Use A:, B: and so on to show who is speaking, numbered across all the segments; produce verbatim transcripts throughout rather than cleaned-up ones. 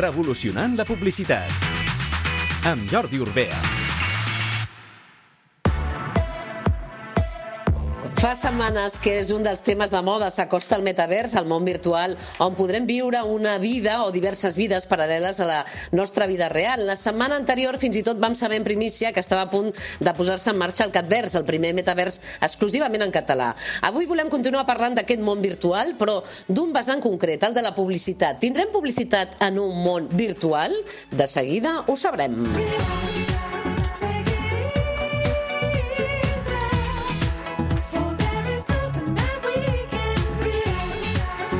A: Revolucionant la publicitat. Amb Jordi Urbea.
B: Fa setmanes que és un dels temes de moda, s'acosta al metavers, al món virtual, on podrem viure una vida o diverses vides paral·leles a la nostra vida real. La setmana anterior fins i tot vam saber en primícia que estava a punt de posar-se en marxa el Catverse, el primer metavers exclusivament en català. Avui volem continuar parlant d'aquest món virtual, però d'un vessant concret, el de la publicitat. Tindrem publicitat en un món virtual? De seguida ho sabrem.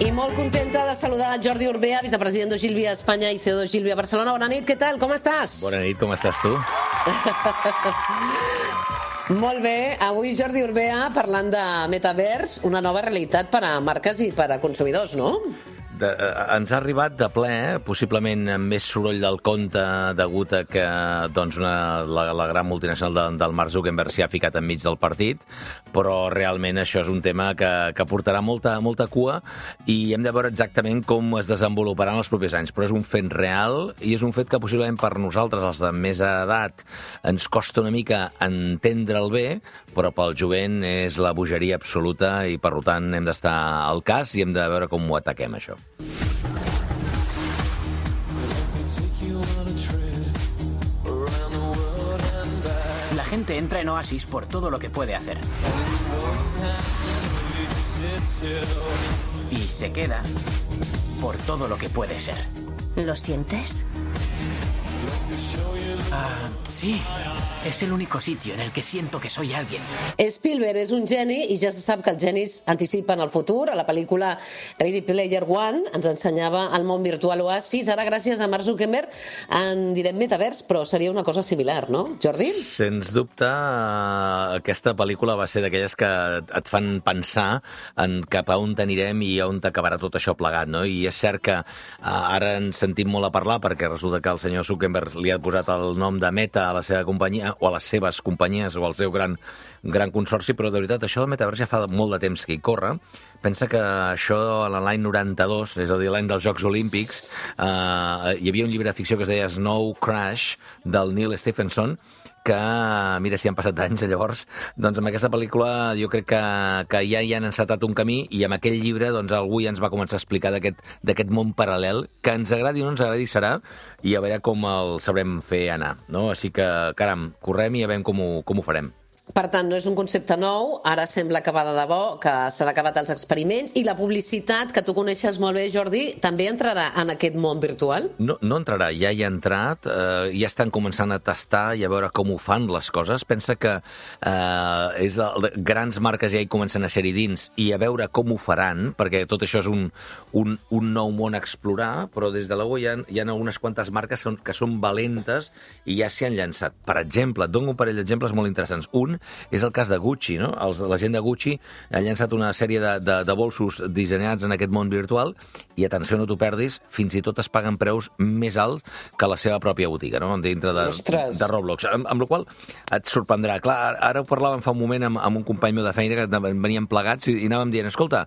B: I molt contenta de saludar Jordi Urbea, vicepresident d'Ogilvy a Espanya i C E O d'Ogilvy a Barcelona. Bona nit, què tal? Com estàs?
C: Bona nit, com estàs tu?
B: Molt bé. Avui Jordi Urbea parlant de metavers, una nova realitat per a marques i per a consumidors, no?
C: De, eh, ens ha arribat de ple, eh? Possiblement amb més soroll del compte degut a que doncs, una, la, la gran multinacional de, del Mark Zuckerberg s'hi ha ficat enmig del partit, però realment això és un tema que, que portarà molta, molta cua i hem de veure exactament com es desenvoluparà en els propers anys. Però és un fet real i és un fet que possiblement per nosaltres, els de més edat, ens costa una mica entendre'l bé, però pel jovent és la bogeria absoluta i per tant hem d'estar al cas i hem de veure com ho ataquem, això.
D: La gente entra en Oasis por todo lo que puede hacer. Y se queda por todo lo que puede ser.
E: ¿Lo sientes?
D: Ah, sí. Es el único sitio en el que siento que soy alguien.
B: Spielberg és un geni i ja se sap que els genis anticipen el futur. A la pel·lícula Ready Player One ens ensenyava el món virtual Oasis. Ara, gràcies a Mark Zuckerberg, en direm metavers, però seria una cosa similar, no, Jordi?
C: Sens dubte, aquesta pel·lícula va ser d'aquelles que et fan pensar en cap a on anirem i on acabarà tot això plegat, no? I és cert que ara ens sentim molt a parlar perquè resulta que el senyor Zuckerberg li ha posat el nom de Meta a la seva companyia o a les seves companyies o al seu gran, gran consorci, però de veritat això del metavers ja fa molt de temps que hi corre. Pensa que això l'any noranta-dos, és a dir, l'any dels Jocs Olímpics, eh, hi havia un llibre de ficció que es deia Snow Crash, del Neil Stephenson, que, mira, si han passat anys, llavors, doncs amb aquesta pel·lícula jo crec que, que ja hi han encetat un camí i amb aquell llibre doncs algú ja ens va començar a explicar d'aquest món paral·lel, que ens agradi o no ens agradi serà, i a veure com el sabrem fer anar, no? Així que, caram, correm i a veure com ho, com ho farem.
B: Per tant, no és un concepte nou, ara sembla que va de debò, que s'han acabat els experiments, i la publicitat, que tu coneixes molt bé, Jordi, també entrarà en aquest món virtual?
C: No, no entrarà, ja hi ha entrat, eh, ja estan començant a tastar i a veure com ho fan les coses. Pensa que eh, és el, grans marques ja hi comencen a ser-hi dins i a veure com ho faran, perquè tot això és un, un, un nou món a explorar, però des de l'U hi ha, hi ha algunes quantes marques que són, que són valentes i ja s'hi han llançat. Per exemple, et dono un parell d'exemples molt interessants. Un és el cas de Gucci, no? Els, la gent de Gucci ha llançat una sèrie de, de, de bolsos dissenyats en aquest món virtual i, atenció, no t'ho perdis, fins i tot es paguen preus més alts que la seva pròpia botiga, no? Dintre de, de Roblox. Amb, amb la qual et sorprendrà. Clar, ara ho parlàvem fa un moment amb, amb un company meu de feina que veníem plegats i, i anàvem dient, escolta,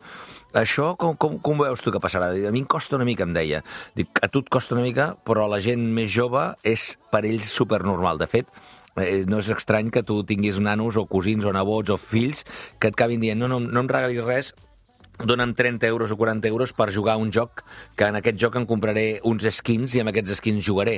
C: això com, com, com veus tu que passarà? A mi em costa una mica, em deia. Dic, a tu et costa una mica, però la gent més jove és per ells supernormal. De fet, no és estrany que tu tinguis nanos o cosins o nebots o fills que et acabin dient no, no, no em regalis res, dona'm trenta euros o quaranta euros per jugar a un joc que en aquest joc em compraré uns skins i amb aquests skins jugaré.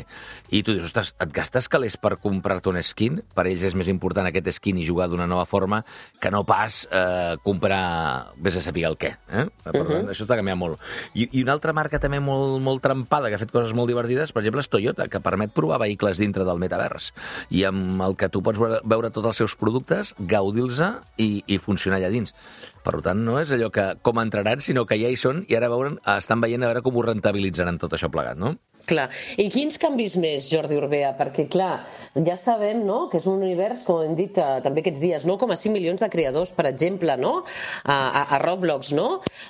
C: I tu dius, ostres, et gastes calés per comprar-te un skin? Per ells és més important aquest skin i jugar d'una nova forma que no pas eh, comprar vés a saber el què. Eh? Per tant, uh-huh. Això t'ha canviat molt. I, I una altra marca també molt, molt trampada, que ha fet coses molt divertides, per exemple, és Toyota, que permet provar vehicles dintre del metavers. I amb el que tu pots veure, veure tots els seus productes, gaudir-los i, i funcionar allà dins. Per tant, no és allò que com entraran, sinó que ja hi són i ara veuen, estan veient a veure com ho rentabilitzaran tot això plegat, no?
B: Clar. I quins canvis més, Jordi Urbea? Perquè, clar, ja sabem, no?, que és un univers, com hem dit eh, també aquests dies, nou coma cinc milions de creadors, per exemple, no?, a, a, a Roblox, no?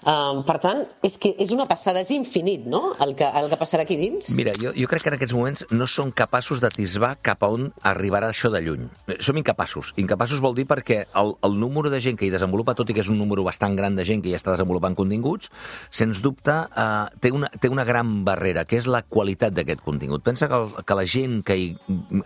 B: Um, per tant, és que és una passada, és infinit, no?, el que, el que passarà aquí dins.
C: Mira, jo, jo crec que en aquests moments no som capaços d'atisbar cap a on arribarà això de lluny. Som incapaços. Incapaços vol dir perquè el, el número de gent que hi desenvolupa, tot i que és un número bastant gran de gent que ja està desenvolupant continguts, sens dubte eh, té, una, té una gran barrera, que és la qualitat qualitat d'aquest contingut. Pensa que, el, que la gent que hi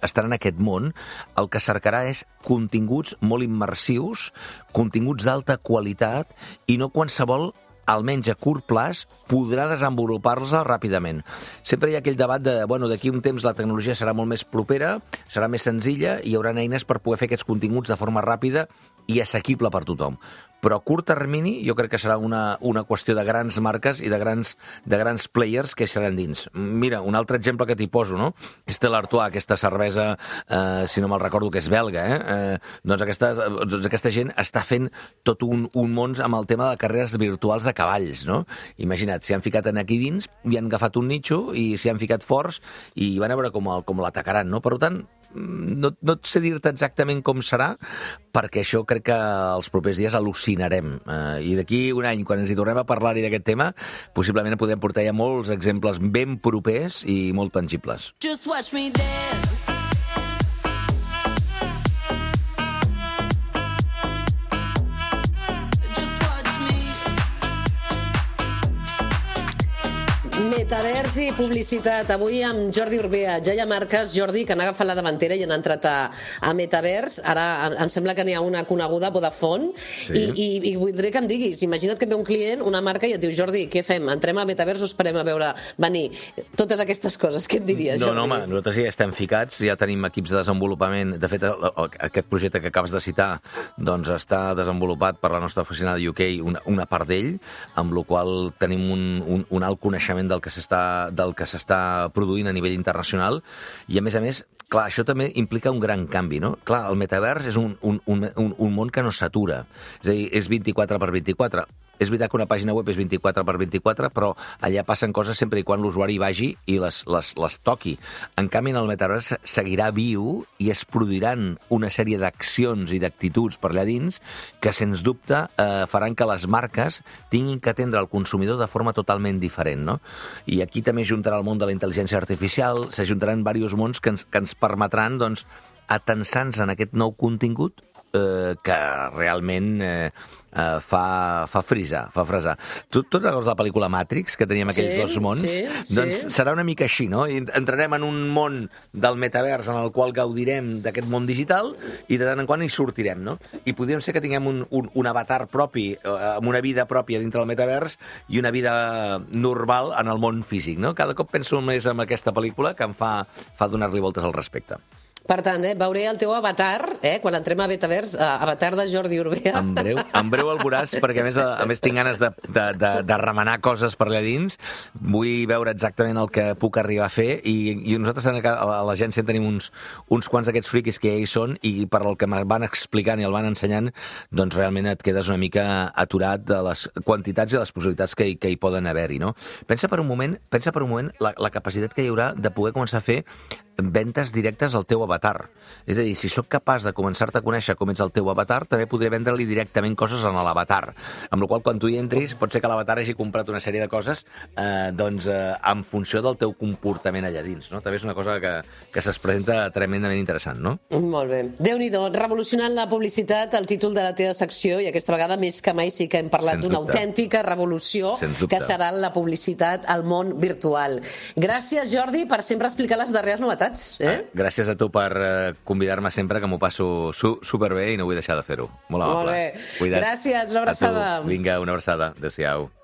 C: estarà en aquest món el que cercarà és continguts molt immersius, continguts d'alta qualitat i no qualsevol, almenys a curt plaç, podrà desenvolupar-los ràpidament. Sempre hi ha aquell debat de, bueno, d'aquí un temps la tecnologia serà molt més propera, serà més senzilla i hi haurà eines per poder fer aquests continguts de forma ràpida i assequible per tothom. Però a curt termini jo crec que serà una, una qüestió de grans marques i de grans, de grans players que seran dins. Mira, un altre exemple que t'hi poso, no? Stella Artois, aquesta cervesa, eh, si no me'l recordo, que és belga, eh? eh doncs, aquesta, doncs aquesta gent està fent tot un, un món amb el tema de carreres virtuals de cavalls, no? Imagina't, s'hi han ficat en aquí dins, i han agafat un nicho i s'hi han ficat forts i van a veure com, el, com l'atacaran, no? Per tant, no, no et sé dir-te exactament com serà, perquè això crec que els propers dies al·lucinarem. Eh, I d'aquí un any, quan ens hi tornem a parlar-hi d'aquest tema, possiblement podem portar ja molts exemples ben propers i molt tangibles.
F: Just watch me dance.
B: Metavers i publicitat. Avui amb Jordi Urbea. Ja hi ha marques, Jordi, que han agafat la davantera i han entrat a, a Metavers. Ara em sembla que n'hi ha una coneguda, Vodafone, sí. i, i, i voldré que em diguis, imagina't que ve un client, una marca, i et diu, Jordi, què fem? Entrem a Metavers o esperem a veure venir? Totes aquestes coses, què et diries,
C: no,
B: Jordi?
C: No, home, nosaltres ja estem ficats, ja tenim equips de desenvolupament. De fet, aquest projecte que acabes de citar doncs està desenvolupat per la nostra oficina de U K, una, una part d'ell, amb la qual tenim un, un, un alt coneixement del que s'està del que s'està produint a nivell internacional i, a més a més, clar, això també implica un gran canvi, no? Clar, el metavers és un, un, un, un món que no s'atura. És a dir, és vint-i-quatre per vint-i-quatre. És veritat que una pàgina web és vint-i-quatre per vint-i-quatre, però allà passen coses sempre i quan l'usuari vagi i les, les, les toqui. En canvi, en el metavers seguirà viu i es produiran una sèrie d'accions i d'actituds per allà dins que, sens dubte, eh, faran que les marques tinguin que atendre el consumidor de forma totalment diferent, no? I aquí també juntarà el món de la intel·ligència artificial, s'ajuntaran diversos mons que ens, que ens permetran, doncs, atensar-nos en aquest nou contingut eh, que realment eh, eh, fa, fa frisar, fa fresar. Tu, tu recordes la pel·lícula Matrix, que teníem aquells sí, dos mons?
B: Sí,
C: doncs
B: sí.
C: Serà una mica així, no? I entrarem en un món del metavers en el qual gaudirem d'aquest món digital i de tant en quant hi sortirem, no? I podríem ser que tinguem un, un, un avatar propi, eh, amb una vida pròpia dintre del metavers i una vida normal en el món físic, no? Cada cop penso més en aquesta pel·lícula que em fa, fa donar-li voltes al respecte.
B: Per tant, eh, veuré el teu avatar, eh, quan entrem a Metavers, eh, avatar de Jordi Urbea.
C: En breu, en breu el veuràs, perquè a més, a, a més tinc ganes de, de, de, de remenar coses per allà dins. Vull veure exactament el que puc arribar a fer i, i nosaltres a l'agència tenim uns, uns quants d'aquests friquis que ja hi són i per el que me van explicant i el van ensenyant, doncs realment et quedes una mica aturat de les quantitats i les possibilitats que, que hi poden haver-hi, no? Pensa per un moment, pensa per un moment la, la capacitat que hi haurà de poder començar a fer ventes directes al teu avatar. És a dir, si sóc capaç de començar-te a conèixer com ets el teu avatar, també podré vendre-li directament coses en l'avatar. Amb la qual quan tu hi entris, pot ser que l'avatar hagi comprat una sèrie de coses eh, doncs, eh, en funció del teu comportament allà dins, no? També és una cosa que, que se'ns presenta tremendament interessant, no?
B: Molt bé. Déu-n'hi-do, revolucionant la publicitat, el títol de la teva secció, i aquesta vegada més que mai sí que hem parlat d'una autèntica revolució que serà la publicitat al món virtual. Gràcies, Jordi, per sempre explicar les darreres novetats. Eh?
C: Gràcies a tu per eh, convidar-me sempre, que m'ho passo su superbé i no vull deixar de fer-ho. Molt amable.
B: Molt bé.
C: Cuida't.
B: Gràcies, una abraçada.
C: Vinga, una abraçada. Adéu-siau.